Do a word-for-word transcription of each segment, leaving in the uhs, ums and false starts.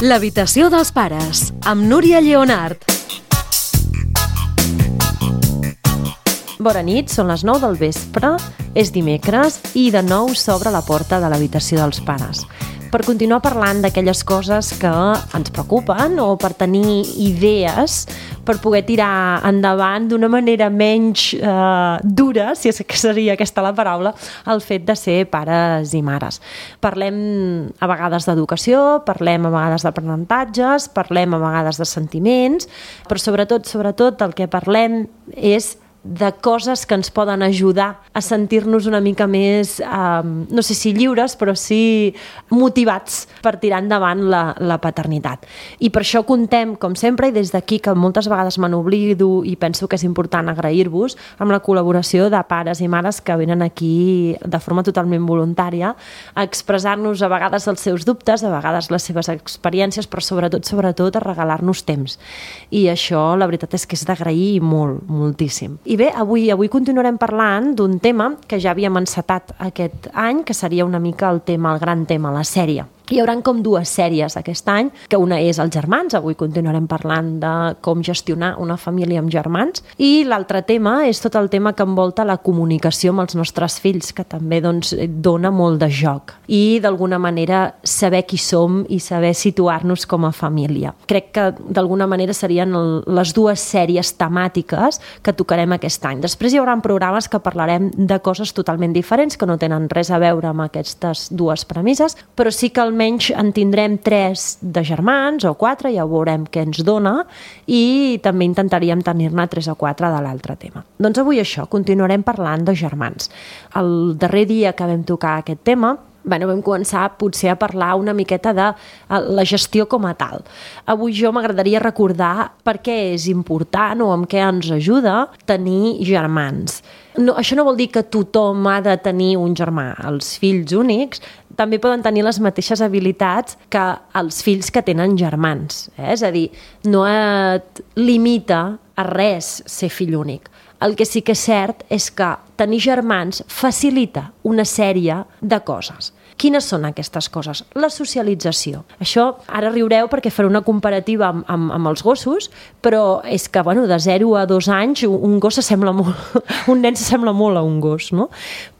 L'habitació dels pares, amb Núria Lleonart. Bona nit, són les nou del vespre, és dimecres i de nou s'obre la porta de l'habitació dels pares. Per continuar parlant d'aquelles coses que ens preocupen o per tenir idees per poder tirar endavant d'una manera menys eh, dura, si és que seria aquesta la paraula, el fet de ser pares i mares. Parlem a vegades d'educació, parlem a vegades d'aprenentatges, parlem a vegades de sentiments, però sobretot, sobretot el que parlem és de coses que ens poden ajudar a sentir-nos una mica més, eh, no sé si lliures, però sí motivats per tirar endavant la, la paternitat. I per això contem, com sempre, i des d'aquí, que moltes vegades me n'oblido i penso que és important agrair-vos, amb la col·laboració de pares i mares que venen aquí de forma totalment voluntària a expressar-nos a vegades els seus dubtes, a vegades les seves experiències, però sobretot, sobretot, a regalar-nos temps. I això, la veritat és que és d'agrair molt, moltíssim. I bé, avui, avui continuarem parlant d'un tema que ja havíem encetat aquest any, que seria una mica el tema, el gran tema, la sèrie. Hi haurà com dues sèries aquest any, que una és els germans, avui continuarem parlant de com gestionar una família amb germans, i l'altre tema és tot el tema que envolta la comunicació amb els nostres fills, que també doncs, dona molt de joc, i d'alguna manera saber qui som i saber situar-nos com a família. Crec que d'alguna manera serien el, les dues sèries temàtiques que tocarem aquest any. Després hi haurà programes que parlarem de coses totalment diferents, que no tenen res a veure amb aquestes dues premisses, però sí que almenys en tindrem tres de germans o quatre, ja veurem què ens dona, i també intentaríem tenir-ne tres o quatre de l'altre tema. Doncs avui això, continuarem parlant de germans. El darrer dia que vam tocar aquest tema, Bueno, vam començar potser a parlar una miqueta de la gestió com a tal. Avui jo m'agradaria recordar per què és important o amb què ens ajuda tenir germans. No, això no vol dir que tothom ha de tenir un germà. Els fills únics també poden tenir les mateixes habilitats que els fills que tenen germans. Eh? És a dir, no et limita a res ser fill únic. El que sí que és cert és que tenir germans facilita una sèrie de coses. Quines són aquestes coses? La socialització. Això, ara riureu perquè faré una comparativa amb, amb, amb els gossos, però és que bueno, de zero a dos anys un gos s'assembla molt, un nen s'assembla molt a un gos, no?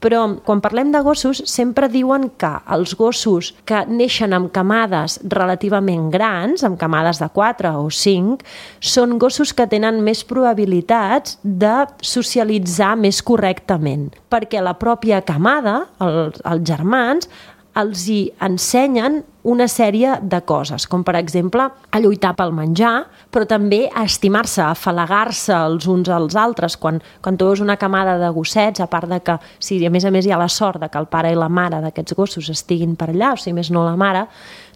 Però quan parlem de gossos sempre diuen que els gossos que neixen amb camades relativament grans, amb camades de quatre o cinc, són gossos que tenen més probabilitats de socialitzar més correctament, perquè la pròpia camada, els, els germans, els hi ensenyen una sèrie de coses, com per exemple a lluitar pel menjar, però també a estimar-se, a afalagar-se els uns als altres. Quan, quan tu veus una camada de gossets, a part de que, si a més a més hi ha la sort de que el pare i la mare d'aquests gossos estiguin per allà, o si més no la mare,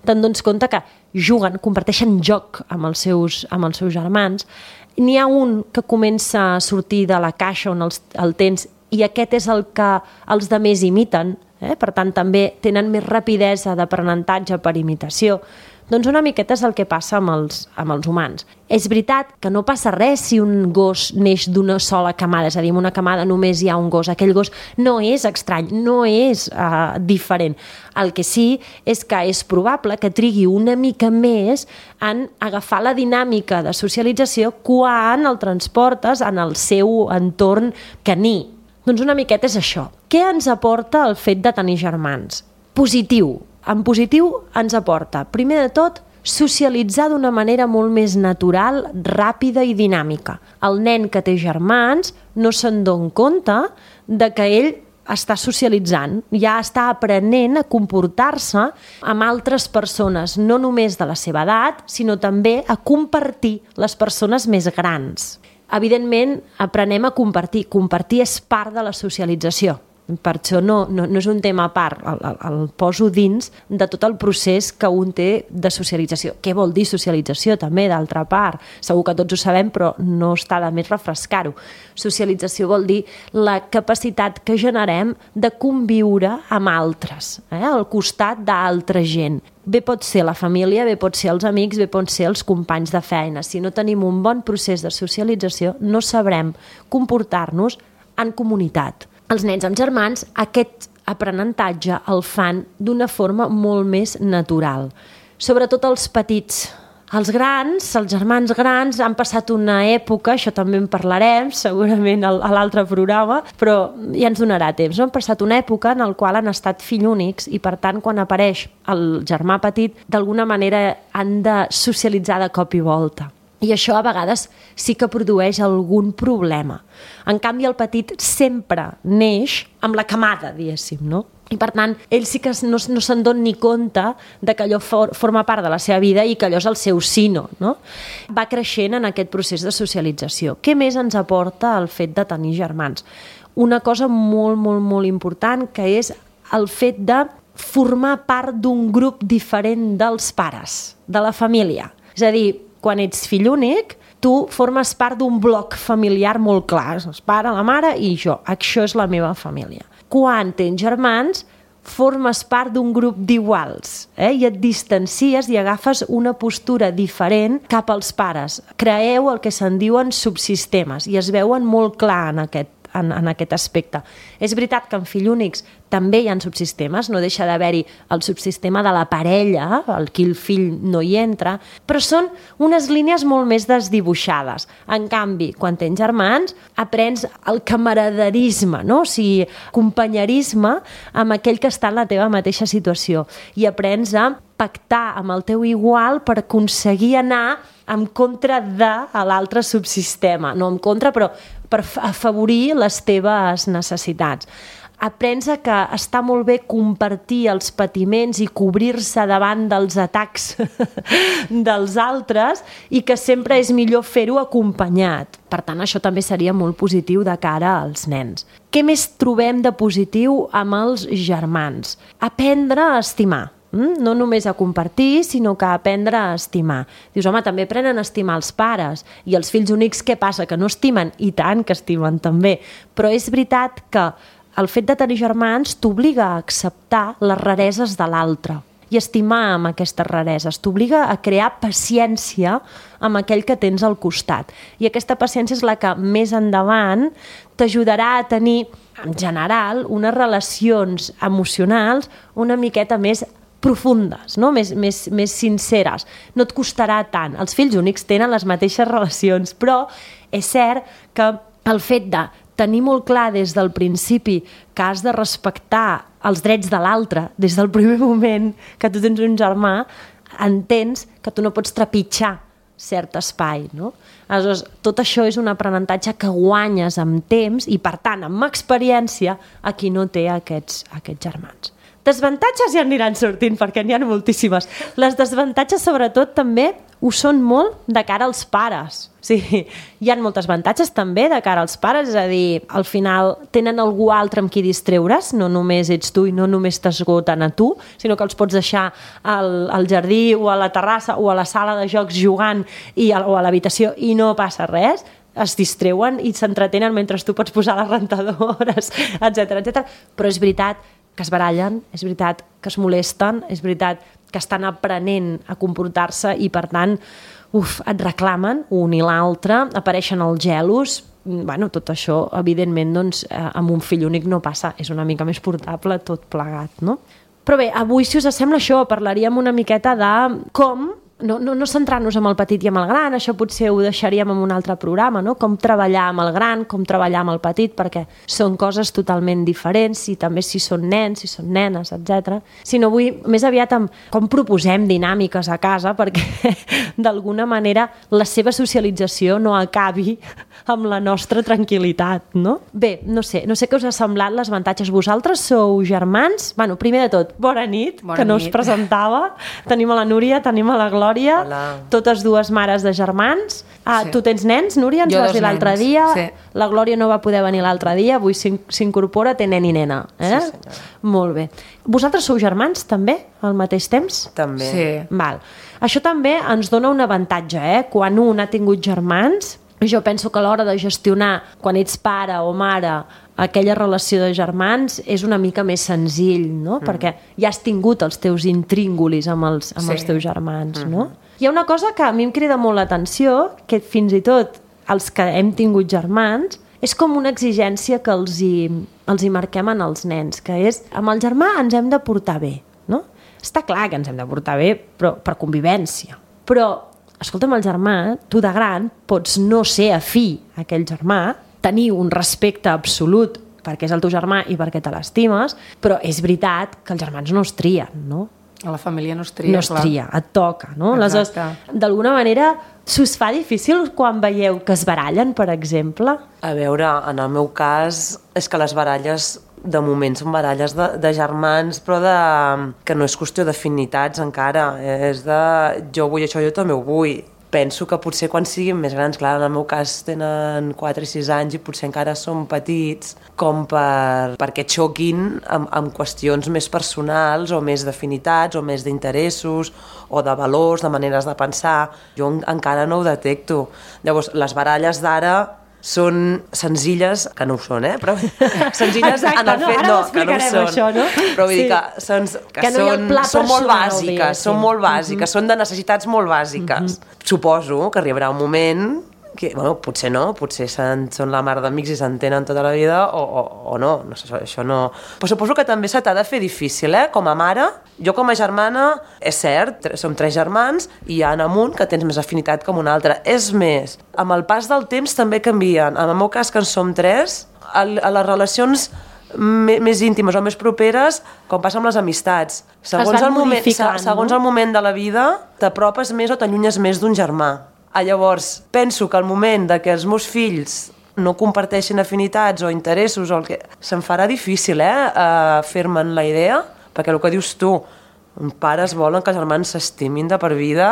te'n dones compte que juguen, comparteixen joc amb els seus, amb els seus germans. N'hi ha un que comença a sortir de la caixa on els, el tens i aquest és el que els demés imiten, eh? Per tant també tenen més rapidesa d'aprenentatge per imitació. Doncs una miqueta és el que passa amb els, amb els humans. És veritat que no passa res si un gos neix d'una sola camada, és a dir, en una camada només hi ha un gos. Aquell gos no és estrany, no és uh, diferent. El que sí és que és probable que trigui una mica més en agafar la dinàmica de socialització quan el transportes en el seu entorn caní. Doncs una miqueta és això. Què ens aporta el fet de tenir germans? Positiu. En positiu ens aporta, primer de tot, socialitzar d'una manera molt més natural, ràpida i dinàmica. El nen que té germans no se'n dona compte de que ell està socialitzant, ja està aprenent a comportar-se amb altres persones, no només de la seva edat, sinó també a compartir les persones més grans. Evidentment, aprenem a compartir. Compartir és part de la socialització. Per això no, no, no és un tema a part, el, el, el poso dins de tot el procés que un té de socialització. Què vol dir socialització també, d'altra part? Segur que tots ho sabem, però no està de més refrescar-ho. Socialització vol dir la capacitat que generem de conviure amb altres, eh? Al costat d'altra gent. Bé pot ser la família, bé pot ser els amics, bé pot ser els companys de feina. Si no tenim un bon procés de socialització, no sabrem comportar-nos en comunitat. Els nens amb germans aquest aprenentatge el fan d'una forma molt més natural. sobretot els petits. Els grans, els germans grans, han passat una època, això també en parlarem segurament a l'altre programa, però ja ens donarà temps, no? Han passat una època en la qual han estat fill únics i per tant quan apareix el germà petit d'alguna manera han de socialitzar de cop i volta. I això a vegades sí que produeix algun problema. En canvi el petit sempre neix amb la camada, diguéssim, no? I per tant, ell sí que no, no se'n dona ni compte de que allò for, forma part de la seva vida i que allò és el seu sino, no? Va creixent en aquest procés de socialització. Què més ens aporta el fet de tenir germans? Una cosa molt, molt, molt important, que és el fet de formar part d'un grup diferent dels pares, de la família. És a dir, quan ets fill únic, tu formes part d'un bloc familiar molt clar, el pare, la mare i jo. Això és la meva família. Quan tens germans, formes part d'un grup d'iguals, eh? I et distancies i agafes una postura diferent cap als pares. Creeu el que se'n diuen subsistemes i es veuen molt clar en aquest En, en aquest aspecte. És veritat que en fill únics també hi ha subsistemes, no deixa d'haver-hi el subsistema de la parella, el qui el fill no hi entra, però són unes línies molt més desdibuixades. En canvi, quan tens germans, aprens el camaraderisme, no? O sigui, companyerisme amb aquell que està en la teva mateixa situació i aprens a pactar amb el teu igual per aconseguir anar en contra de l'altre subsistema, no en contra, però per afavorir les teves necessitats. Aprens a que està molt bé compartir els patiments i cobrir-se davant dels atacs dels altres i que sempre és millor fer-ho acompanyat. Per tant, això també seria molt positiu de cara als nens. Què més trobem de positiu amb els germans? Aprendre a estimar. No només a compartir, sinó que a aprendre a estimar. Dius, home, també aprenen a estimar els pares. I els fills únics, què passa? Que no estimen? I tant que estimen també. Però és veritat que el fet de tenir germans t'obliga a acceptar les rareses de l'altre i estimar amb aquestes rareses. T'obliga a crear paciència amb aquell que tens al costat. I aquesta paciència és la que més endavant t'ajudarà a tenir, en general, unes relacions emocionals una miqueta més profundes, no? més, més, més sinceres. No et costarà tant. Els fills únics tenen les mateixes relacions, però és cert que el fet de tenir molt clar des del principi que has de respectar els drets de l'altre, des del primer moment que tu tens un germà, entens que tu no pots trepitjar cert espai, no? Aleshores, tot això és un aprenentatge que guanyes amb temps i, per tant, amb experiència a qui no té aquests, aquests germans. Desavantatges ja aniran sortint, perquè n'hi ha moltíssimes. Les desavantatges, sobretot, també ho són molt de cara als pares. O sigui, hi ha moltes avantatges també de cara als pares, és a dir, al final tenen algú altre amb qui distreure's, no només ets tu i no només t'esgoten a tu, sinó que els pots deixar al, al jardí o a la terrassa o a la sala de jocs jugant i a, o a l'habitació i no passa res, es distreuen i s'entretenen mentre tu pots posar les rentadores, etcètera, etcètera. Però és veritat que es barallen, és veritat que es molesten, és veritat que estan aprenent a comportar-se i, per tant, uf, et reclamen un i l'altre, apareixen els gelos. Bueno, tot això, evidentment, doncs, amb un fill únic no passa, és una mica més portable tot plegat, no? Però bé, avui, si us sembla això, parlaríem una miqueta de com no, no, no centrar-nos amb el petit i amb el gran, això potser ho deixaríem en un altre programa, no? Com treballar amb el gran, com treballar amb el petit, perquè són coses totalment diferents, i també si són nens, si són nenes, etcètera. Sinó avui, més aviat, amb com proposem dinàmiques a casa perquè d'alguna manera la seva socialització no acabi amb la nostra tranquil·litat, no? Bé, no sé, no sé què us ha semblat les avantatges. Vosaltres sou germans? Bueno, primer de tot, bona nit, bona que no nit. Us presentava. Tenim a la Núria, tenim a la Glòria, hola. Totes dues mares de germans. Ah, sí. Tu tens nens, Núria? Ens jo vas dir l'altre dia. Sí. La Glòria no va poder venir l'altre dia, avui s'incorpora, té nen i nena. Eh? Sí, senyora. Molt bé. Vosaltres sou germans, també, al mateix temps? També. Sí. Val. Això també ens dona un avantatge, eh? Quan un ha tingut germans, jo penso que a l'hora de gestionar, quan ets pare o mare, aquella relació de germans és una mica més senzill, no? Mm. Perquè ja has tingut els teus intríngulis amb els, amb sí. els teus germans, mm-hmm. no? Hi ha una cosa que a mi em crida molt l'atenció, que fins i tot els que hem tingut germans, és com una exigència que els hi, els hi marquem en els nens, que és, amb el germà ens hem de portar bé, no? està clar que ens hem de portar bé, però per convivència. Però, escolta'm, el germà, tu de gran pots no ser afí a aquell germà, tenir un respecte absolut perquè és el teu germà i perquè te l'estimes, però és veritat que els germans no es trien, no? A la família no es tria, no es clar. tria, et toca, no? Aleshores, d'alguna manera, s'us fa difícil quan veieu que es barallen, per exemple? A veure, en el meu cas, és que les baralles, de moment, són baralles de, de germans, però de, que no és qüestió d'afinitats encara, és de jo vull això, jo també ho vull. Penso que potser quan siguin més grans, clar, en el meu cas tenen quatre i sis anys i potser encara són petits, com per, perquè xoquin amb, amb qüestions més personals o més d'afinitats o més d'interessos o de valors, de maneres de pensar. Jo encara no ho detecto. Llavors, les baralles d'ara són senzilles, que no ho són, eh? Però senzilles Exacte, en el no, fet ara no, ho que no ho són. això, no? Però vull Sí. dir que, són, que, Que no hi ha el són, pla són molt personal, bàsiques, diguéssim. són molt bàsiques, són de necessitats molt bàsiques. Suposo que arribarà un moment que, bueno, potser no, potser són, són la mar d'amics i s'entenen tota la vida o, o, o no, no sé, això no... Però suposo que també se t'ha de fer difícil, eh? Com a mare, jo com a germana, és cert, som tres germans i hi ha en un que tens més afinitat com un altre. És més, amb el pas del temps també canvien. En el meu cas, que en som tres, a, a les relacions més íntimes o més properes, com passa amb les amistats. Segons, el moment, segons no? el moment de la vida, t'apropes més o t'allunyes més d'un germà. Ah, llavors, penso que al moment de que els meus fills no comparteixin afinitats o interessos, o el que... se'm farà difícil eh, uh, fer-me'n la idea, perquè el que dius tu, pares volen que els germans s'estimin de per vida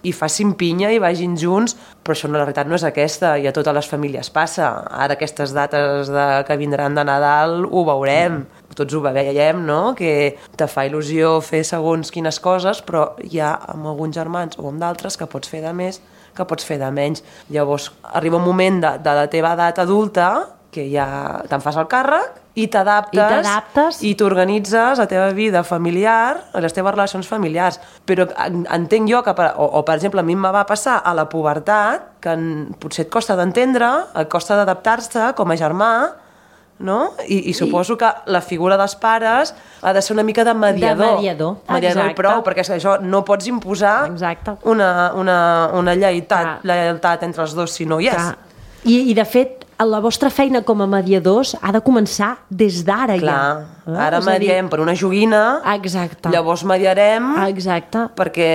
i facin pinya i vagin junts, però això no, la realitat no és aquesta, i a totes les famílies passa. Ara aquestes dates de, que vindran de Nadal ho veurem, mm. tots ho veiem, no? Que te fa il·lusió fer segons quines coses, però hi ha amb alguns germans o amb d'altres que pots fer de més, que pots fer de menys. Llavors arriba un moment de, de la teva edat adulta que ja te'n fas el càrrec i t'adaptes i t'organitzes la teva vida familiar, les teves relacions familiars. Però entenc jo que, per, o, o per exemple, a mi em va passar a la pubertat, que en, potser et costa d'entendre, et costa d'adaptar-se com a germà, no? I, i suposo que la figura dels pares ha de ser una mica de mediador. De mediador, mediador i prou, perquè això no pots imposar exacte. una, una, una lleialtat, lleialtat entre els dos si no hi és. I, I de fet, la vostra feina com a mediadors ha de començar des d'ara ja. Clar, ara mediem per una joguina, exacte. Llavors mediarem exacte. perquè...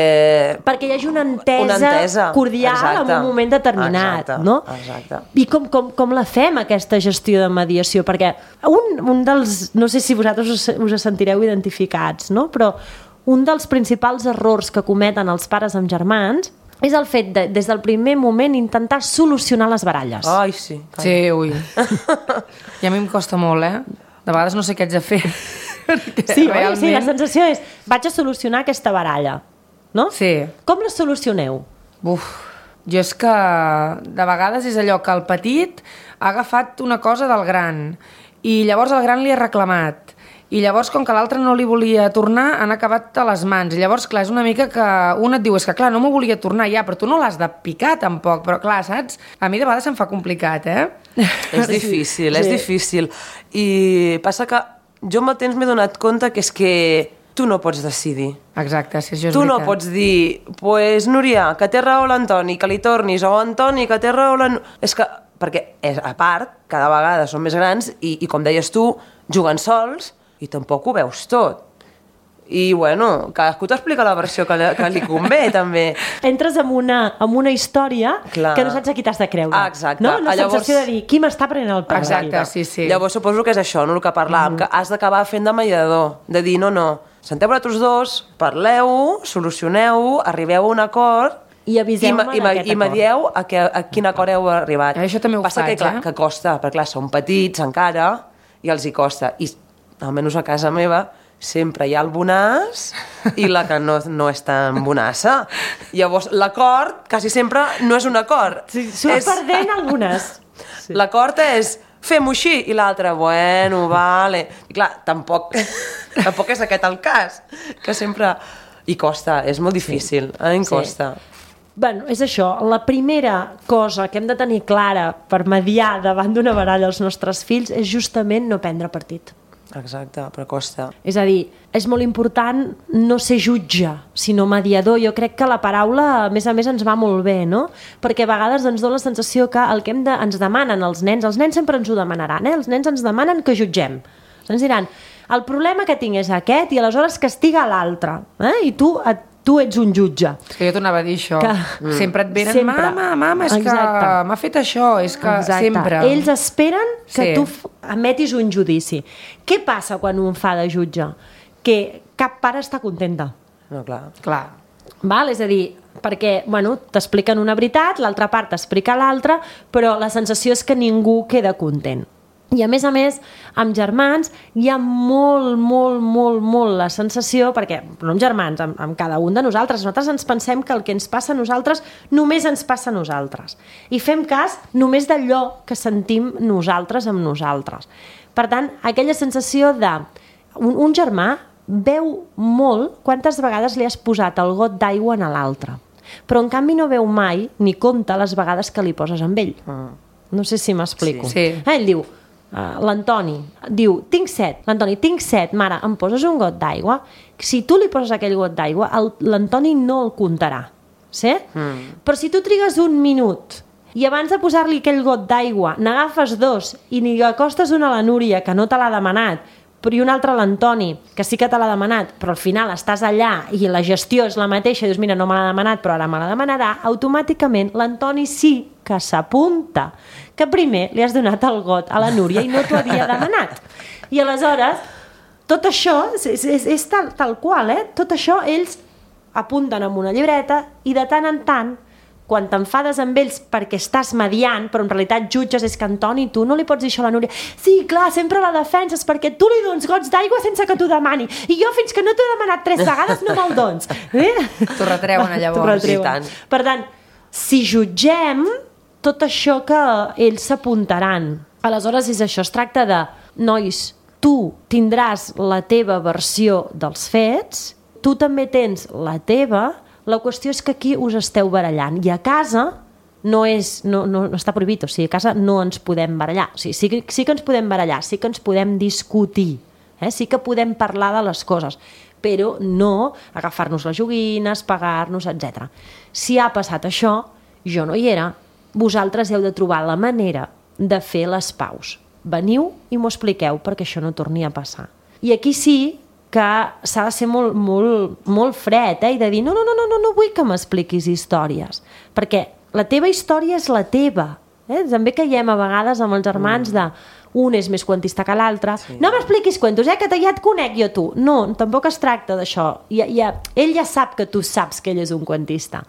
perquè hi hagi una entesa, una entesa. cordial exacte. en un moment determinat. Exacte. No? Exacte. I com, com, com la fem, aquesta gestió de mediació? Perquè un, un dels... No sé si vosaltres us, us sentireu identificats, no? Però un dels principals errors que cometen els pares amb germans és el fet de, des del primer moment, intentar solucionar les baralles. Ai, sí. Ai. Sí, ui. I a mi em costa molt, eh? De vegades no sé què haig de fer. Sí, realment... sí, la sensació és, vaig a solucionar aquesta baralla, no? Sí. Com la solucioneu? Uf, jo és que de vegades és allò que el petit ha agafat una cosa del gran i llavors el gran li ha reclamat. I llavors, com que l'altre no li volia tornar, han acabat a les mans. I llavors, clar, és una mica que un et diu, és que clar, no m'ho volia tornar ja, però tu no l'has de picar tampoc. Però clar, saps? A mi de vegades se'm fa complicat, eh? És difícil, sí. és difícil. I passa que jo amb el temps m'he donat compte que és que tu no pots decidir. Exacte, si això és tu veritat. no pots dir, pues, Núria, que té raó l'Antoni, que li tornis, o Antoni, que té raó la... És que, perquè, és, a part, cada vegada són més grans i, i com deies tu, juguen sols, i tampoc ho veus tot. I, bueno, cadascú t'explica la versió que li, que li convé, també. Entres en una, en una història Clar. que no saps a qui t'has de creure. Ah, exacte. No? La Llavors... sensació de dir, qui m'està prenent el pèl? Exacte, sí, sí. Llavors suposo que és això, no? El que parlàvem, mm. que has d'acabar fent de mediador, de dir, no, no, senteu vosaltres dos, parleu, solucioneu, arribeu a un acord i aviseu-me i, i, i medieu a, que, a quin acord heu arribat. Això també ho Passa faig, que, clar, eh? que costa, perquè clar, són petits encara i els hi costa. I almenys a casa meva sempre hi ha el bonàs i la que no, no és tan bonassa. Llavors, l'acord quasi sempre no és un acord. Sí, surt és... perdent algunes. Sí. L'acord és fem-ho així, i l'altre, bueno, vale. I clar, tampoc, tampoc és aquest el cas, que sempre... I costa, és molt difícil, sí. A mi em costa. Sí. Bueno, és això, la primera cosa que hem de tenir clara per mediar davant d'una baralla als nostres fills és justament no prendre partit. Exacte, però costa. És a dir, és molt important no ser jutge, sinó mediador. Jo crec que la paraula, a més a més, ens va molt bé, no? Perquè a vegades ens dona la sensació que el que hem de, ens demanen els nens, els nens sempre ens ho demanaran, eh? Els nens ens demanen que jutgem. Ens diran, el problema que tinc és aquest i aleshores castiga l'altre. Eh? I tu et tu ets un jutge. Que jo t'anava a dir això. Que... Mm. Sempre et venen, sempre. mama, mama, és Exacte. que m'ha fet això, és que Exacte. sempre... Ells esperen que sí. tu emetis un judici. Què passa quan un fa de jutge? Que cap pare està contenta. No, clar. Clar. Val? És a dir, perquè bueno, t'expliquen una veritat, l'altra part t'explica l'altra, però la sensació és que ningú queda content. I a més a més, amb germans hi ha molt, molt, molt, molt la sensació, perquè no amb germans, amb, amb cada un de nosaltres, nosaltres ens pensem que el que ens passa a nosaltres només ens passa a nosaltres. I fem cas només d'allò que sentim nosaltres amb nosaltres. Per tant, aquella sensació de... Un, un germà veu molt quantes vegades li has posat el got d'aigua a l'altre, però en canvi no veu mai ni compta les vegades que li poses amb ell. Mm. No sé si m'explico. Sí. Eh, ell diu... Uh, l'Antoni diu, tinc set, l'Antoni, tinc set, mare, em poses un got d'aigua? Si tu li poses aquell got d'aigua, l'Antoni no el comptarà, sí? Mm. Però si tu trigues un minut i abans de posar-li aquell got d'aigua n'agafes dos i n'hi acostes una a la Núria, que no te l'ha demanat, però i un altre a l'Antoni, que sí que te l'ha demanat, però al final estàs allà i la gestió és la mateixa, i dius, mira, no me l'ha demanat, però ara me la demanarà, automàticament l'Antoni sí que s'apunta que primer li has donat el got a la Núria i no t'ho havia demanat. I aleshores, tot això és, és, és tal, tal qual, eh? Tot això ells apunten amb una llibreta i de tant en tant, quan t'enfades amb ells perquè estàs mediant, però en realitat jutges, és que Antoni, tu no li pots dir això a la Núria. Sí, clar, sempre la defenses perquè tu li dones gots d'aigua sense que t'ho demani. I jo fins que no t'ho he demanat tres vegades no me'l dones. Eh? T'ho retreuen llavors. T'ho retreuen. Tant. Per tant, si jutgem, tot això que ells s'apuntaran. Aleshores és això, es tracta de, nois, tu tindràs la teva versió dels fets, tu també tens la teva, la qüestió és que aquí us esteu barallant i a casa no, és, no, no, no està prohibit, o sigui, a casa no ens podem barallar, o sigui, sí, que, sí que ens podem barallar, sí que ens podem discutir, eh? Sí que podem parlar de les coses, però no agafar-nos les joguines, pagar-nos, etcètera. Si ha passat això, jo no hi era, vosaltres heu de trobar la manera de fer les paus. Veniu i m'ho expliqueu perquè això no torni a passar. I aquí sí que s'ha de ser molt, molt, molt fred, eh? I de dir, no, no, no, no, no vull que m'expliquis històries, perquè la teva història és la teva. Eh? També caiem a vegades amb els germans de un és més cuentista que l'altre. Sí. No m'expliquis cuentos, eh? Que ja et conec jo tu. No, tampoc es tracta d'això. Ja, ja, ell ja sap que tu saps que ell és un cuentista.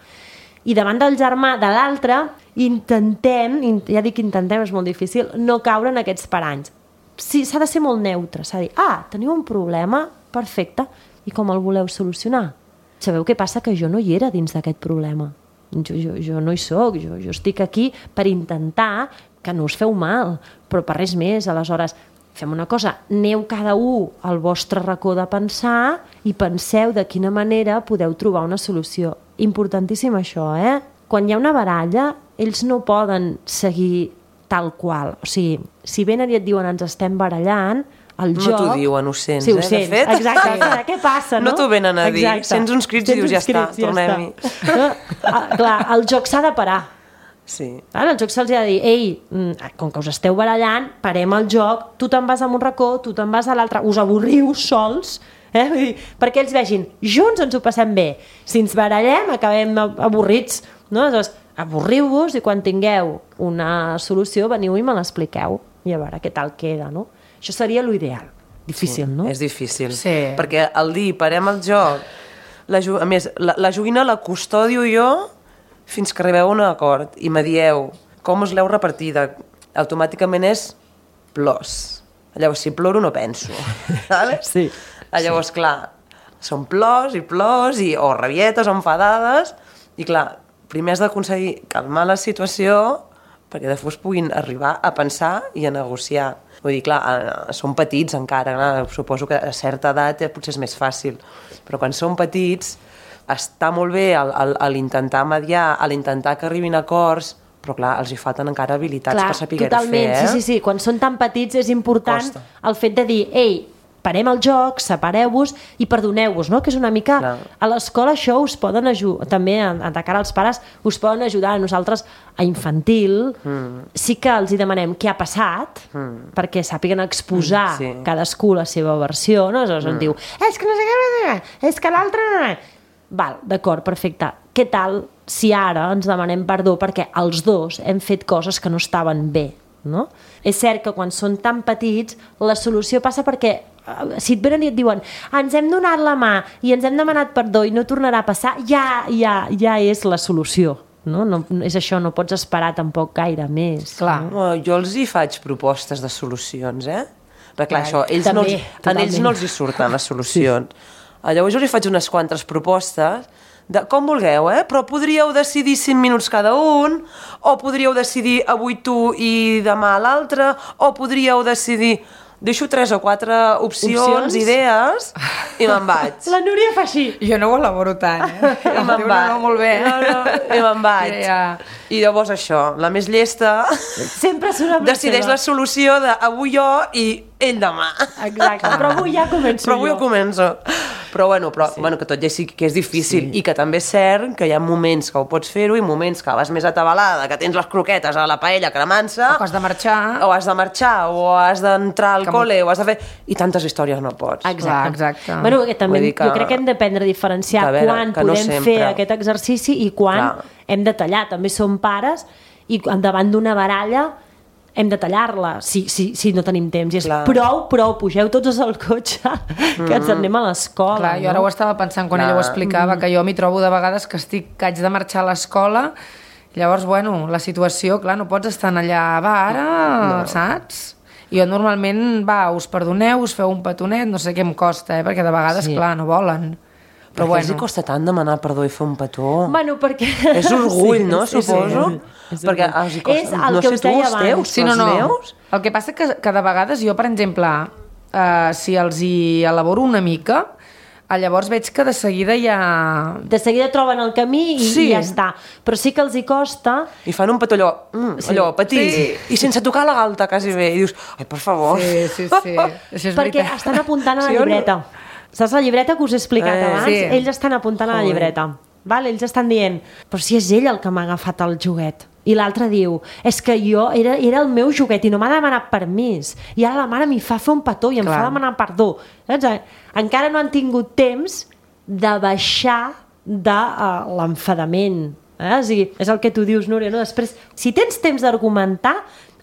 I davant del germà de l'altre intentem, ja dic intentem, és molt difícil, no caure en aquests paranys. Sí, s'ha de ser molt neutre, s'ha de dir, ah, teniu un problema? Perfecte, i com el voleu solucionar? Sabeu què passa? Que jo no hi era dins d'aquest problema. Jo, jo, jo no hi soc, jo, jo estic aquí per intentar que no us feu mal, però per res més. Aleshores, fem una cosa, aneu cada un al vostre racó de pensar i penseu de quina manera podeu trobar una solució. Importantíssim això, eh? Quan hi ha una baralla, ells no poden seguir tal qual. O sigui, si venen i et diuen ens estem barallant, el no joc... t'ho diuen, ho sents, sí, ho eh, sents. de fet. Exacte, sí. Què passa, no? No t'ho venen a dir, Exacte. Sents uns crits i dius, ja està, tornem-hi. No? Ah, clar, el joc s'ha de parar. Sí. Ara, el joc se'ls ha de dir, ei, com que us esteu barallant, parem el joc, tu te'n vas a un racó, tu te'n vas a l'altre, us avorriu sols, eh? Vull dir, perquè ells vegin, junts ens ho passem bé, si ens barallem acabem avorrits, no? Aleshores, avorriu-vos i quan tingueu una solució veniu i me l'expliqueu i a veure què tal queda, no? Això seria l'ideal. Difícil, sí, no? És difícil. Sí. Perquè al dir parem el joc, la, a més, la, la joguina la custodio jo fins que arribeu a un acord i me dieu com us l'heu repartida. Automàticament és plors. Llavors, si ploro no penso. Sí. Llavors, sí. Clar, són plors i plors, i, o rabietes o enfadades, i clar, primer has d'aconseguir calmar la situació perquè després puguin arribar a pensar i a negociar. Vull dir, clar, són petits encara, clar, suposo que a certa edat potser és més fàcil, però quan són petits està molt bé a l'intentar mediar, a l'intentar que arribin a acords, però clar, els hi falten encara habilitats Clar, per saber-ho totalment, fer, eh? sí, sí, sí. Quan són tan petits és important Costa. el fet de dir, ei, parem el joc, separeu-vos i perdoneu-vos, no? Que és una mica... Clar. A l'escola això us poden ajudar, també a, a cara als pares, us poden ajudar a nosaltres a infantil. Mm. Sí que els hi demanem què ha passat, mm. perquè sàpiguen exposar mm, sí. cadascú la seva versió, no? Aleshores mm. on diu, és que no sé què, és que l'altre... Val, d'acord, perfecte. Què tal si ara ens demanem perdó perquè els dos hem fet coses que no estaven bé, no? És cert que quan són tan petits la solució passa perquè si et venen i et diuen ens hem donat la mà i ens hem demanat perdó i no tornarà a passar, ja, ja, ja és la solució. No? No, és això, no pots esperar tampoc gaire més. Clar. No? Jo els hi faig propostes de solucions, eh? Perquè clar, això, ells També, no els, a totalment. ells no els hi surten les solucions. Sí. Llavors jo els hi faig unes quantes propostes de, com vulgueu, eh? Però podríeu decidir cinc minuts cada un, o podríeu decidir avui tu i demà l'altre, o podríeu decidir... Deixo tres o quatre opcions, Opcions? idees, i me'n vaig. La Núria fa així. Jo no ho elaboro tant, eh? I me'n vaig. No, molt bé. No, no, i me'n vaig. Ja. I llavors això, la més llesta Sempre surt amb decideix seva. la solució de avui jo i ell demà. Exacte, però avui ja començo Però avui jo. ho començo. Però bueno, però, sí. bueno, que tot ja sí que és difícil sí. i que també és cert que hi ha moments que ho pots fer-ho i moments que vas més atabalada, que tens les croquetes a la paella cremant-se, O que has de marxar. o has de marxar, o has d'entrar al Que col·le, o has de fer... I tantes històries no pots. Exacte. Clar, exacte. Bueno, que també, Vull dir que- jo crec que hem d'aprendre a diferenciar que a veure, quan que no podem sempre. fer aquest exercici i quan Clar. hem de tallar. També som pares i davant d'una baralla hem de tallar-la si, si, si no tenim temps. I és Clar. prou, prou, pugeu tots al cotxe que ens anem a l'escola. Clar, jo ara no? ho estava pensant quan Clar. ella ho explicava, que jo m'hi trobo de vegades que estic, que haig de marxar a l'escola. Llavors, bueno, la situació, clar, no pots estar allà, va, ara, no. saps? Jo normalment, va, us perdoneu, us feu un petonet, no sé què em costa, eh? Perquè de vegades, Sí. clar, no volen. Però Però bueno. bueno. els costa tant demanar perdó i fer un petó? Bueno, perquè... És orgull, Sí, no? sí, sí. Suposo. És Perquè orgull. els hi costa... És el no que sé us tu, deia els abans. teus, Sí, no, els no. meus... El que passa que, que de vegades jo, per exemple, eh, si els hi elaboro una mica, eh, llavors veig que de seguida ja... De seguida troben el camí i, Sí. i ja està. Però sí que els hi costa... I fan un petó allò, mm, Sí. allò petit, Sí. i sense tocar la galta quasi bé. I dius, ai, per favor. Sí, sí, sí. Això és Perquè veritat. estan apuntant a la Sí o no? llibreta. Saps la llibreta que us he explicat Eh, abans? sí. Ells estan apuntant a la Joder. llibreta. Val? Ells estan dient, però si és ell el que m'ha agafat el joguet. I l'altre diu, és que jo era, era el meu joguet i no m'ha demanat permís. I ara la mare m'hi fa fer un petó i em Clar. fa demanar perdó. Saps? Encara no han tingut temps de baixar de uh, l'enfadament. Eh? O sigui, és el que tu dius, Núria, no? Després, si tens temps d'argumentar,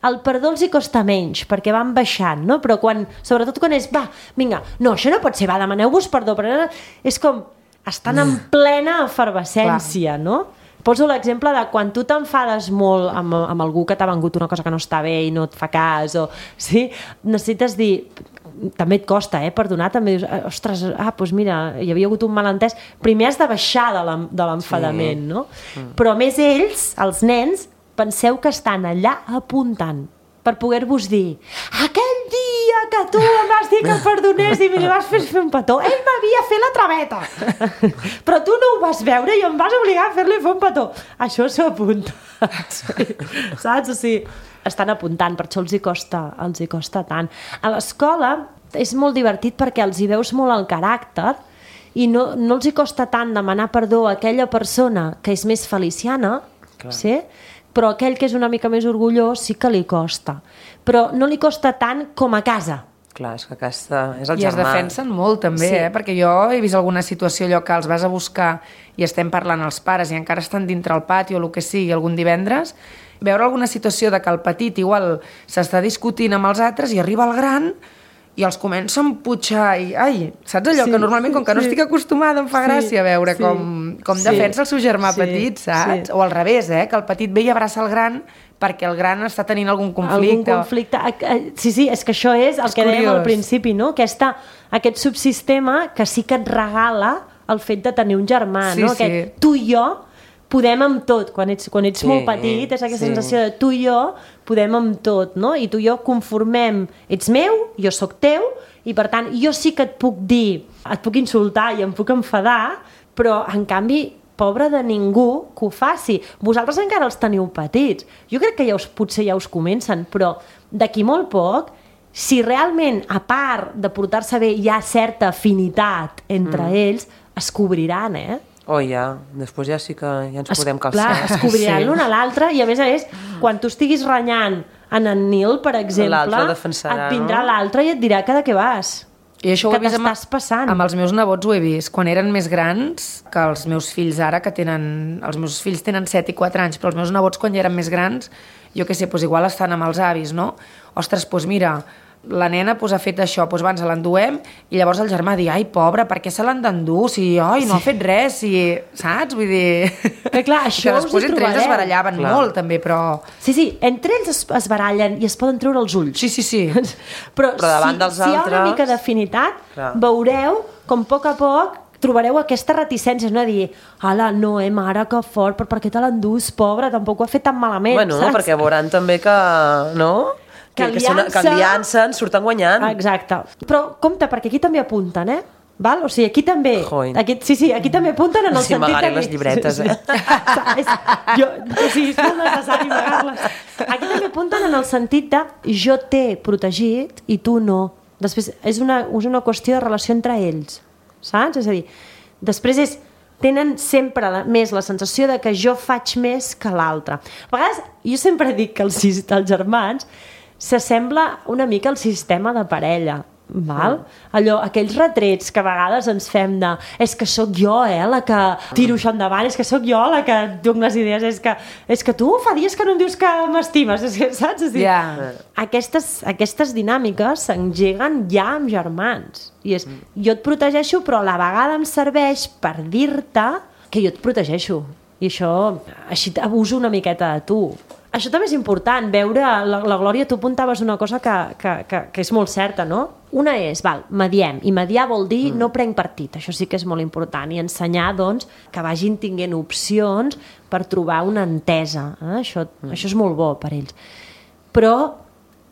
el perdó els hi costa menys, perquè van baixant, no? Però quan, sobretot quan és, va, vinga, no, això no pot ser, va, demaneu-vos perdó, però és com, estan en plena efervescència, no? Poso l'exemple de quan tu t'enfades molt amb, amb algú que t'ha vengut una cosa que no està bé i no et fa cas, o, sí? Necessites dir, també et costa, eh, perdonar, també dius, ostres, ah, doncs mira, hi havia hagut un malentès. Primer has de baixar de l'en- de l'enfadament, sí. no? Mm. Però a més ells, els nens, penseu que estan allà apuntant per poder-vos dir aquell dia que tu em vas dir que el perdonés i me li vas fer fer un petó, ell m'havia fet la traveta però tu no ho vas veure i em vas obligar a fer-li fer un petó. Això s'ho apunta. Saps? O sigui, estan apuntant, per això els hi costa, els hi costa tant. A l'escola és molt divertit perquè els hi veus molt el caràcter i no, no els hi costa tant demanar perdó a aquella persona que és més feliciana, sí? Però aquell que és una mica més orgullós sí que li costa. Però no li costa tant com a casa. Clar, és que aquesta és el I es germà. defensen molt també, Sí. eh? Perquè jo he vist alguna situació allò que els vas a buscar i estem parlant els pares i encara estan dintre el pati o el que sigui algun divendres, veure alguna situació de que el petit igual s'està discutint amb els altres i arriba el gran i els comença a emputxar i, ai, saps allò Sí, que normalment com que no sí. estic acostumada em fa Sí, gràcia veure sí, com, com sí, defensa el seu germà sí, petit, saps? sí. O al revés, eh? Que el petit ve i abraça el gran perquè el gran està tenint algun conflicte. Algun conflicte. Sí, sí, és que això és el És que dèiem curiós. al principi, no? Aquesta, aquest subsistema que sí que et regala el fet de tenir un germà, Sí, no? sí. Que tu i jo podem amb tot. Quan ets, quan ets Sí, molt petit és aquesta sí. sensació de tu i jo podem amb tot, no? I tu i jo conformem, ets meu, jo sóc teu, i per tant jo sí que et puc dir, et puc insultar i em puc enfadar, però en canvi pobre de ningú que ho faci. Vosaltres encara els teniu petits. Jo crec que ja us, potser ja us comencen, però d'aquí molt poc, si realment, a part de portar-se bé, hi ha certa afinitat entre mm. ells, es cobriran, eh? Oh, ja. Després ja sí que ja ens es, podem calçar. Clar, es cobriran sí. l'un a l'altre i, a més a més, quan tu estiguis renyant en en Nil, per exemple, defensarà, et vindrà no? l'altre i et dirà que de què vas. I això ho que he vist amb, passant. amb els meus nebots, ho he vist. Quan eren més grans, que els meus fills ara, que tenen... Els meus fills tenen set i quatre anys, però els meus nebots, quan ja eren més grans, jo què sé, doncs igual estan amb els avis, no? Ostres, doncs mira, la nena pues, ha fet això, doncs abans l'enduem, i llavors el germà diu, ai, pobra, per què se l'han d'endur? Si, oi, no sí. ha fet res, si... saps? Vull dir... Que clar, això que després entre ells es barallaven clar. molt, també, però... Sí, sí, entre ells es, es barallen i es poden treure els ulls. Sí, sí, sí. però però davant si, dels si altres... hi ha una mica d'afinitat, clar. veureu com a poc a poc trobareu aquesta reticència, no? A dir, ala, no, eh, mare, que fort, però per què te l'endús, pobra, tampoc ho ha fet tan malament, bueno, saps? perquè veuran també que... no? Que, que, aliança... que aliança en surten guanyant. Exacte. Però compte, perquè aquí també apunten, eh? Val? O sigui, aquí també... Aquí, sí, sí, aquí també apunten en el sí, sentit... Sí, les llibretes, eh? és, jo, o sigui, és molt necessari amagar-les. Aquí també apunten en el sentit de jo t'he protegit i tu no. Després, és una, és una qüestió de relació entre ells, saps? És a dir, després és... tenen sempre la, més la sensació de que jo faig més que l'altre. A vegades, jo sempre dic que els, els germans s'assembla una mica al sistema de parella, val? Allò, aquells retrets que a vegades ens fem de és que sóc jo, eh, la que tiro això endavant, és que sóc jo la que dono les idees, és que, és que tu fa dies que no em dius que m'estimes, saps? És dir, yeah. aquestes, aquestes dinàmiques s'engeguen ja amb germans. I és, jo et protegeixo, però a la vegada em serveix per dir-te que jo et protegeixo. I això, així abuso una miqueta de tu. Això també és important, veure, la, la Glòria, tu apuntaves una cosa que, que, que, que és molt certa, no? Una és, val, mediem, i mediar vol dir mm. no prenc partit, això sí que és molt important, i ensenyar, doncs, que vagin tinguent opcions per trobar una entesa, eh? això, mm. això és molt bo per ells. Però,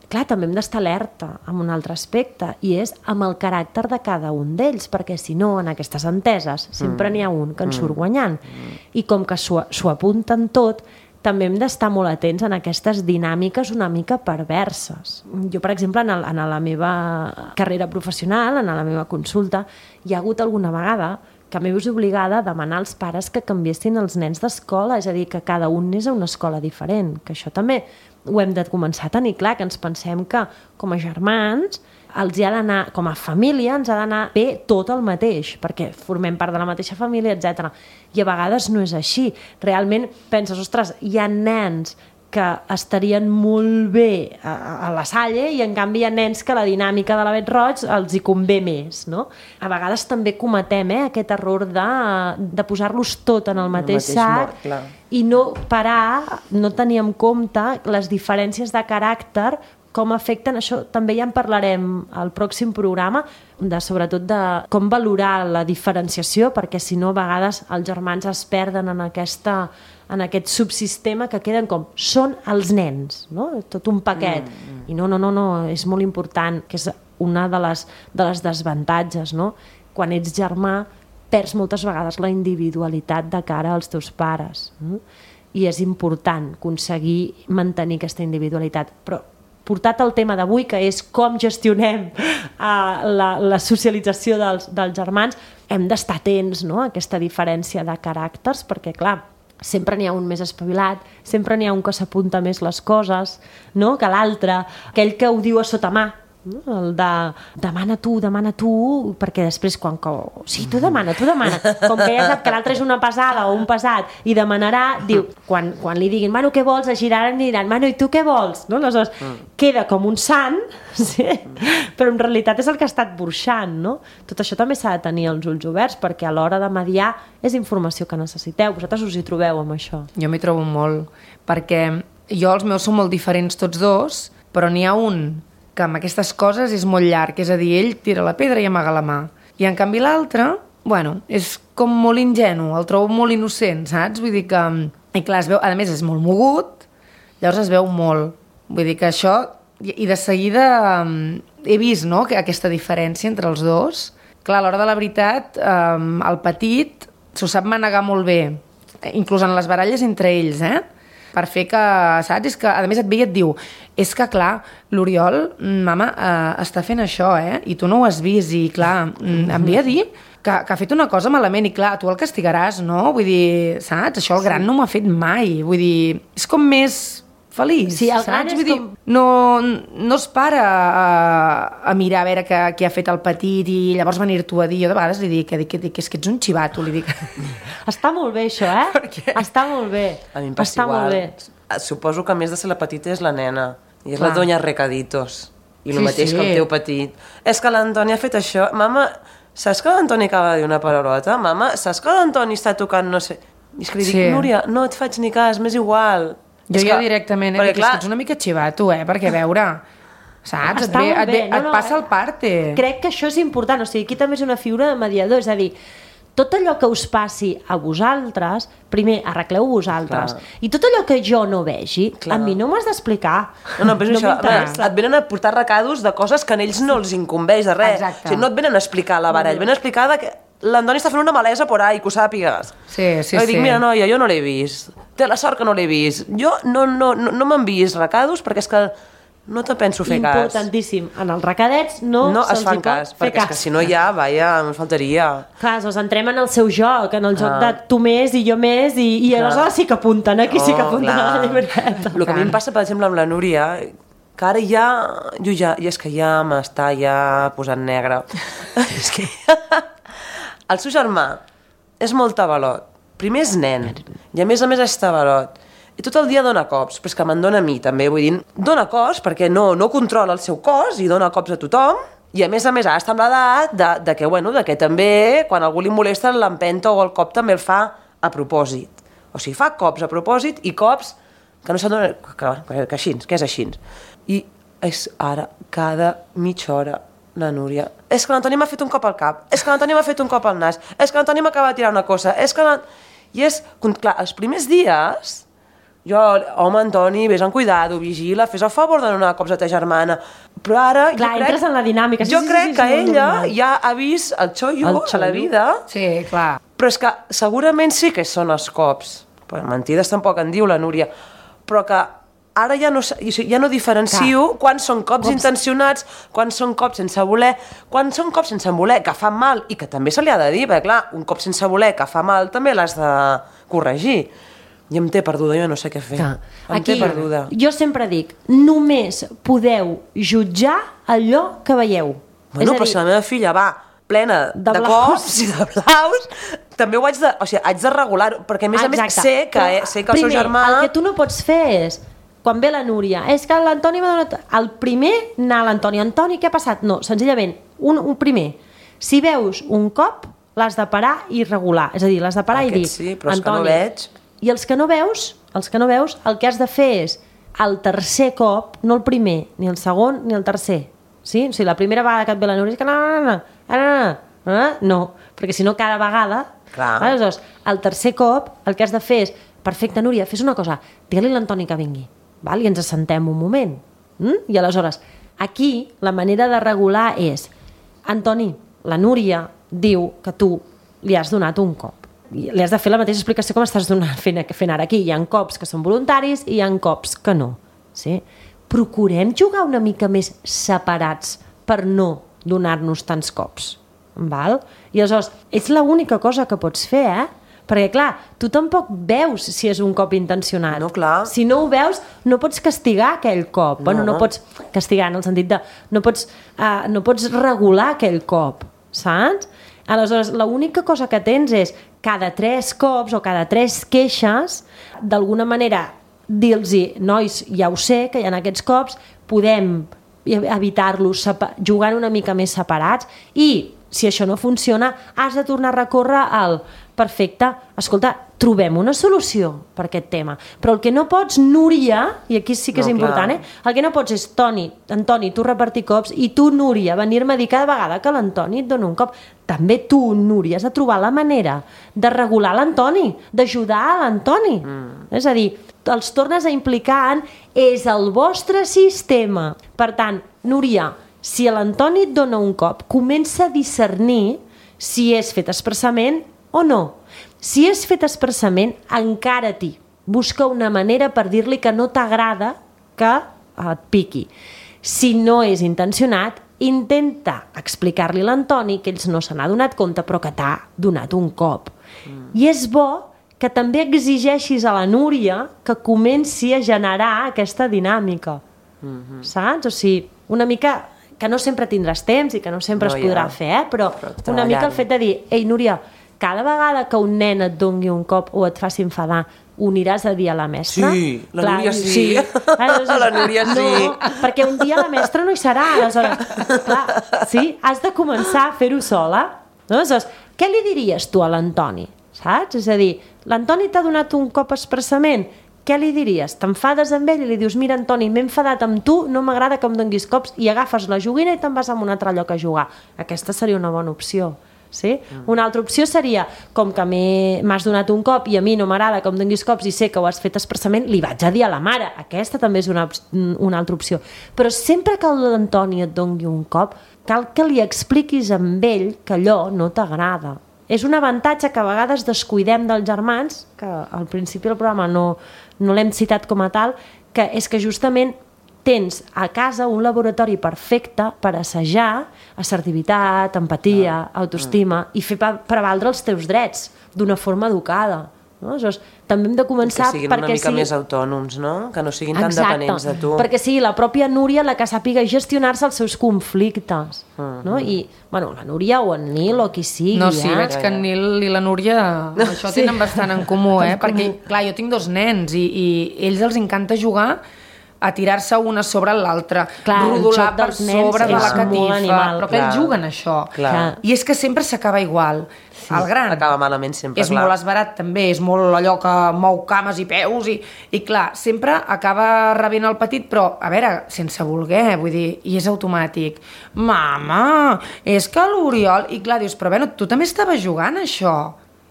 clar, també hem d'estar alerta amb un altre aspecte, i és amb el caràcter de cada un d'ells, perquè si no, en aquestes enteses, sempre mm. n'hi ha un que en surt guanyant, mm. i com que s'ho apunten tot, també hem d'estar molt atents en aquestes dinàmiques una mica perverses. Jo, per exemple, en, el, en la meva carrera professional, en la meva consulta, hi ha hagut alguna vegada que m'he vist obligada a demanar als pares que canviessin els nens d'escola, és a dir, que cada un anés a una escola diferent, que això també ho hem de començar a tenir clar, que ens pensem que com a germans els hi ha d'anar, com a família, ens ha d'anar bé tot el mateix, perquè formem part de la mateixa família, etcètera. I a vegades no és així. Realment penses, ostres, hi ha nens que estarien molt bé a, a la Salle i en canvi hi ha nens que la dinàmica de l'Avet Roig els hi convé més, no? A vegades també cometem eh, aquest error de, de posar-los tot en el mateix, el mateix sac mort, i no parar, no tenir en compte les diferències de caràcter, com afecten, això també ja en parlarem al pròxim programa, de, sobretot de com valorar la diferenciació, perquè si no a vegades els germans es perden en, aquesta, en aquest subsistema que queden com, són els nens, no? Tot un paquet. Mm, mm. I no, no, no, no, és molt important, que és una de les, de les desavantatges, no? Quan ets germà perds moltes vegades la individualitat de cara als teus pares. No? I és important aconseguir mantenir aquesta individualitat, però portat al tema d'avui, que és com gestionem uh, la, la socialització dels, dels germans, hem d'estar atents, no?, a aquesta diferència de caràcters, perquè, clar, sempre n'hi ha un més espavilat, sempre n'hi ha un que s'apunta més les coses, no?, que l'altre, aquell que ho diu a sota mà, no? El de demana tu, demana tu, perquè després quan... Sí, tu demana, tu demana. Com que ja sap que l'altre és una pesada o un pesat i demanarà, diu, quan, quan li diguin, mano, què vols? Es giraran i diran, mano, i tu què vols? No? Aleshores, queda com un sant, sí? Però en realitat és el que ha estat burxant, no? Tot això també s'ha de tenir els ulls oberts, perquè a l'hora de mediar és informació que necessiteu. Vosaltres us hi trobeu amb això? Jo m'hi trobo molt, perquè jo els meus són molt diferents tots dos, però n'hi ha un que amb aquestes coses és molt llarg, és a dir, ell tira la pedra i amaga la mà. I en canvi l'altre, bueno, és com molt ingenu, el trobo molt innocent, saps? Vull dir que... I clar, es veu, a més és molt mogut, llavors es veu molt. Vull dir que això... I de seguida he vist, no?, que aquesta diferència entre els dos. Clar, a l'hora de la veritat, el petit s'ho sap manegar molt bé, inclús en les baralles entre ells, eh? Per fer que, saps? És que, a més, et ve i et diu, és que, clar, l'Oriol, mama, eh, està fent això, eh? I tu no ho has vist, i, clar, em ve a dir que, que ha fet una cosa malament, i, clar, tu el castigaràs, no? Vull dir, saps? Això el gran no m'ha fet mai. Vull dir, és com més feliç, sí, el gran saps? és Vull dir, com... no, no es para a, a mirar a veure què, què ha fet el petit i llavors venir tu a dir, jo de vegades li dic que, que, que, que és que ets un xivato, li dic. Està molt bé això, eh? Està molt bé. A mi em passa Està igual. molt bé. Suposo que a més de ser la petita és la nena i és Clar. la doña Recaditos i el Sí, mateix sí. que el teu petit. És que l'Antoni ha fet això. Mama, saps que l'Antoni acaba de dir una paraulota? Mama, saps que l'Antoni està tocant no sé... I és que li dic, Sí. Núria, no et faig ni cas, m'és igual. Jo És ja que- directament, eh, perquè, perquè, clar, és que ets una mica xivato, eh, perquè a veure, saps? Et, Està ve, molt et, bé. ve, No, et no, passa eh? el parte. Crec que això és important, o sigui, aquí també és una figura de mediador, és a dir, tot allò que us passi a vosaltres, primer arregleu vosaltres, Clar. i tot allò que jo no vegi, Clar. a mi no m'has d'explicar. No, no, però és no això, m'interessa. et venen a portar recados de coses que a ells no els incumbeix de res. Exacte. O sigui, no et venen a explicar la baralla, et venen a explicar de que l'Antoni està fent una malesa por ahí, que ho sàpigues. Sí, sí, jo sí. dic, mira, noia, jo no l'he vist. Té la sort que no l'he vist. Jo no, no, no, no m'han vist recados perquè és que no te penso fer cas. Importantíssim. En els recadets no, No es se'ls fan hi pot cas, fer perquè és que si no ja, vaja, em faltaria. Clar, doncs entrem en el seu joc, en el joc Ah. de tu més i jo més, i, i Clar. aleshores sí que apunten, aquí sí que Oh, apunten a la clar. llibreta. El que a mi em passa, per exemple, amb la Núria, que ara ja, jo ja, i és que ja m'està ja posant negre. És que el seu germà és molt tabalot. Primer és nen, i a més a més és tabalot. I tot el dia dona cops, però és que me'n dona a mi també, vull dir, dona cops perquè no, no controla el seu cos i dona cops a tothom, i a més a més ara està amb l'edat de, de, que, bueno, de que també quan algú li molesta l'empenta o el cop també el fa a propòsit. O sigui, fa cops a propòsit i cops que no s'adonen, que, que, que així, que és així. I és ara cada mitja hora la Núria. És que l'Antoni m'ha fet un cop al cap, és que l'Antoni m'ha fet un cop al nas, és que l'Antoni m'acaba de tirar una cosa, és que l'Antoni... I és, clar, els primers dies, jo, home, Antoni, vés amb cuidado, vigila, fes el favor de no donar cops a ta germana. Però ara, Clar, jo entres crec, en la dinàmica. Sí, jo sí, crec sí, sí, que sí, molt ella normal. ja ha vist el xollo El a la xollo. vida, Sí, clar. però és que segurament sí que són els cops. Però mentides tampoc en diu la Núria. Però que ara ja no, ja no diferencio Clar. quan són cops, Cops. intencionats, quan són cops sense voler, quan són cops sense voler, que fan mal i que també se li ha de dir, perquè clar, un cop sense voler que fa mal també l'has de corregir. I em té perduda, jo no sé què fer. Clar. Em té perduda. jo sempre dic, només podeu jutjar allò que veieu. Bueno, És a però dir, si la meva filla va plena de, De de blaus. cops i de blaus, també ho haig de, o sigui, haig de regular-ho, perquè a més a més Exacte. sé que, Però, sé que el primer, seu germà... el que tu no pots fer és, quan ve la Núria, és que l'Antoni m'ha donat... El primer, anar a l'Antoni. Antoni, què ha passat? No, senzillament, un, un primer. Si veus un cop, l'has de parar i regular. És a dir, l'has de parar Aquest i dir... sí, però és que no Antoni, veig. I els que no veus, els que no veus, el que has de fer és el tercer cop, no el primer, ni el segon, ni el tercer. Sí? O sigui, la primera vegada que et ve la Núria és que no, no, no, no, no, no, no, perquè si no cada vegada... Clar. Aleshores, el tercer cop el que has de fer és, perfecte, Núria, fes una cosa, digue-li a l'Antoni que vingui, val? I ens assentem un moment. Mm? I aleshores, aquí la manera de regular és, Antoni, la Núria diu que tu li has donat un cop. I li has de fer la mateixa explicació com estàs donant, fent, fent ara aquí. Hi ha cops que són voluntaris i hi ha cops que no. Sí? Procurem jugar una mica més separats per no donar-nos tants cops. Val? I aleshores, és l'única cosa que pots fer, eh? Perquè, clar, tu tampoc veus si és un cop intencionat. No, clar. Si no ho veus, no pots castigar aquell cop. No, bueno, no pots castigar en el sentit de... No pots, uh, no pots regular aquell cop, saps? Aleshores, l'única cosa que tens és cada tres cops o cada tres queixes, d'alguna manera dir-los, nois, ja ho sé, que hi ha aquests cops, podem evitar-los jugant una mica més separats i, si això no funciona, has de tornar a recórrer al perfecte, escolta, trobem una solució per aquest tema. Però el que no pots, Núria, i aquí sí que és No, important, clar. eh? El que no pots és, Toni, Antoni, tu repartir cops, i tu, Núria, venir-me a dir cada vegada que l'Antoni et dona un cop. També tu, Núria, has de trobar la manera de regular l'Antoni, d'ajudar a l'Antoni. Mm. És a dir, els tornes a implicar en és el vostre sistema. Per tant, Núria, si l'Antoni et dona un cop, comença a discernir si és fet expressament o no. Si és fet expressament, encara-t'hi. Busca una manera per dir-li que no t'agrada que et piqui. Si no és intencionat, intenta explicar-li a l'Antoni que ells no se n'ha donat compte però que t'ha donat un cop. Mm. I és bo que també exigeixis a la Núria que comenci a generar aquesta dinàmica. Mm-hmm. Saps? O sigui, una mica que no sempre tindràs temps i que no sempre no, es podrà ja. fer, eh? però, però una mica el fet de dir, ei Núria, cada vegada que un nen et doni un cop o et faci enfadar, ho aniràs a dir a la mestra? Sí, la Clar, Núria sí. sí. Aleshores, la Núria sí. No, perquè un dia la mestra no hi serà. Aleshores, clar, sí, has de començar a fer-ho sola. Aleshores, què li diries tu a l'Antoni? Saps? És a dir, l'Antoni t'ha donat un cop expressament, què li diries? T'enfades amb ell i li dius, mira Antoni, m'he enfadat amb tu, no m'agrada que em donguis cops, i agafes la joguina i te'n vas a un altre lloc a jugar. Aquesta seria una bona opció. Sí? Mm. Una altra opció seria, com que m'has donat un cop i a mi no m'agrada que em donguis cops i sé que ho has fet expressament, li vaig a dir a la mare. Aquesta també és una, una altra opció. Però sempre que l'Antoni et doni un cop, cal que li expliquis amb ell que allò no t'agrada. És un avantatge que a vegades descuidem dels germans, que al principi del programa no, no l'hem citat com a tal, que és que justament tens a casa un laboratori perfecte per assajar assertivitat, empatia, autoestima i fer prevaldre els teus drets d'una forma educada. No? Aleshores, també hem de començar... Que siguin una mica sigui... més autònoms, no? Que no siguin tan Exacte. dependents de tu. Perquè sigui la pròpia Núria la que sàpiga gestionar-se els seus conflictes. Uh-huh. No? I, bueno, la Núria o en Nil o qui sigui. No, sí, eh? veig que en Nil i la Núria això sí. tenen bastant en comú, eh? En Perquè, comú. clar, jo tinc dos nens i, i ells els encanta jugar a tirar-se una sobre l'altra, rodolar per sobre de la catifa, animal, però que ells juguen això. Clar. I és que sempre s'acaba igual. Sí, el gran acaba malament sempre, és clar. molt esbarat també, és molt allò que mou cames i peus i, i clar, sempre acaba rebent el petit, però a veure, sense voler, vull dir, i és automàtic. Mama, és que l'Oriol... I clar, dius, però bueno, tu també estaves jugant això.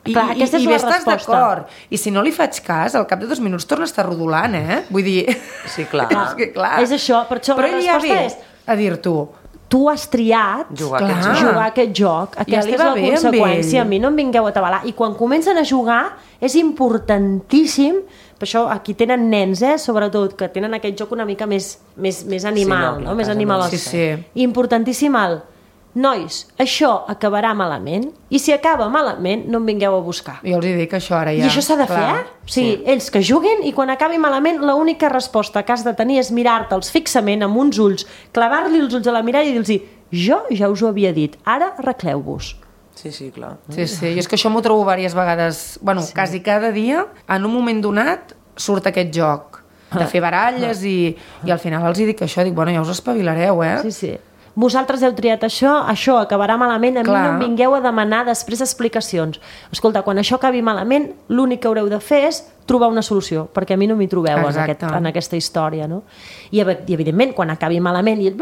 I, clar, i, i bé estàs resposta. d'acord. I si no li faig cas, al cap de dos minuts torna a estar rodolant, eh? Vull dir... Sí, clar. és que, clar. És això, per això però la resposta ja és... a dir-tu... Tu has triat jugar, clar, aquest, jugar aquest joc. Aquesta ja és la conseqüència. A mi no em vingueu a tabalar. I quan comencen a jugar és importantíssim, per això aquí tenen nens, eh, sobretot, que tenen aquest joc una mica més, més, més animal, sí, no, no? Més animalós. Sí, sí. Importantíssim el... Nois, això acabarà malament i si acaba malament no em vingueu a buscar. Jo els dic que això ara ja... I això s'ha de fer, eh? O sigui, sí. ells que juguin i quan acabi malament l'única resposta que has de tenir és mirar-te'ls fixament amb uns ulls, clavar-li els ulls a la mirada i dir-los jo ja us ho havia dit, ara arregleu-vos. Sí, sí, clar. Sí, sí, i és que això m'ho trobo diverses vegades, bueno, sí. quasi cada dia, en un moment donat surt aquest joc de fer baralles i, i al final els dic això, dic, bueno, ja us espavilareu, eh? Sí, sí. Vosaltres heu triat això, això acabarà malament, a mi Clar. no em vingueu a demanar després explicacions. Escolta, quan això acabi malament, l'únic que haureu de fer és trobar una solució, perquè a mi no m'hi trobeu en, aquest, en aquesta història, no? I, I evidentment, quan acabi malament, i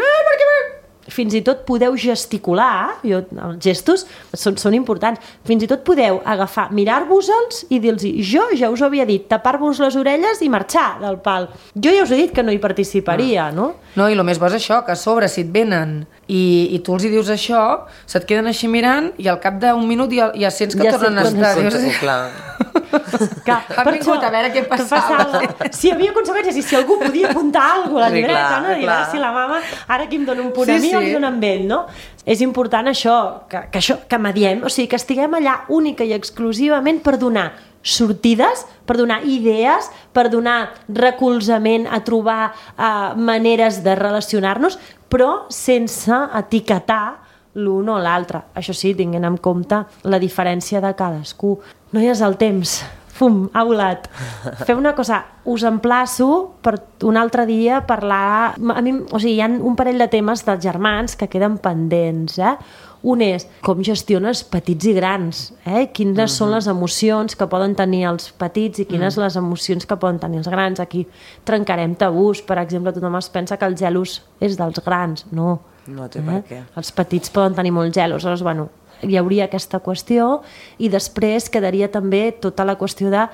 fins i tot podeu gesticular, jo, els gestos són, són importants, fins i tot podeu agafar, mirar-vos-els i dir-los jo ja us ho havia dit, tapar-vos les orelles i marxar del pal. Jo ja us he dit que no hi participaria, no? No, i el més bo és això, que a sobre si et venen i, i tu els hi dius això, se't queden així mirant i al cap d'un minut ja, ja sents que ja tornen a estar. Sí, clar. Clar, han vingut a veure què passava. passava. Si hi havia conseqüències i si algú podia apuntar alguna cosa a la sí, llibreta, clar, no? Dirà, si la mama ara aquí em dona un punt sí, a mi sí. o li dona amb ell, no? És important això, que, que, això, que mediem, o sigui, que estiguem allà única i exclusivament per donar sortides, per donar idees, per donar recolzament a trobar uh, maneres de relacionar-nos, però sense etiquetar l'un o l'altre. Això sí, tinguent en compte la diferència de cadascú. No hi és el temps. Fum, ha volat. Feu una cosa, us emplaço per un altre dia parlar... A mi, o sigui, hi ha un parell de temes dels germans que queden pendents, eh? Un és com gestiones petits i grans, eh? Quines uh-huh. són les emocions que poden tenir els petits i quines uh-huh. les emocions que poden tenir els grans. Aquí trencarem tabús, per exemple, tothom es pensa que el gelos és dels grans. No. No té eh? per què. Els petits poden tenir molt gelos, aleshores, bueno, hi hauria aquesta qüestió i després quedaria també tota la qüestió de,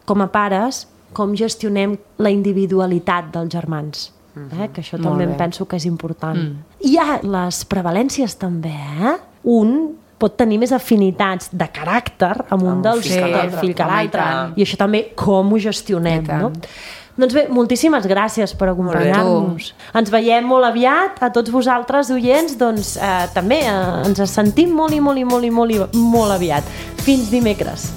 com a pares, com gestionem la individualitat dels germans. Eh? Que això també em penso que és important. Mm. Hi ha les prevalències també, eh? Un pot tenir més afinitats de caràcter amb un dels fill que del l'altre. fill que Home, i l'altre. tant. I això també com ho gestionem, I tant. no? Doncs bé, moltíssimes gràcies per acompanyar-nos. Ens veiem molt aviat, a tots vosaltres, oients, doncs eh, també eh, ens sentim molt i molt i molt i molt, i molt aviat. Fins dimecres.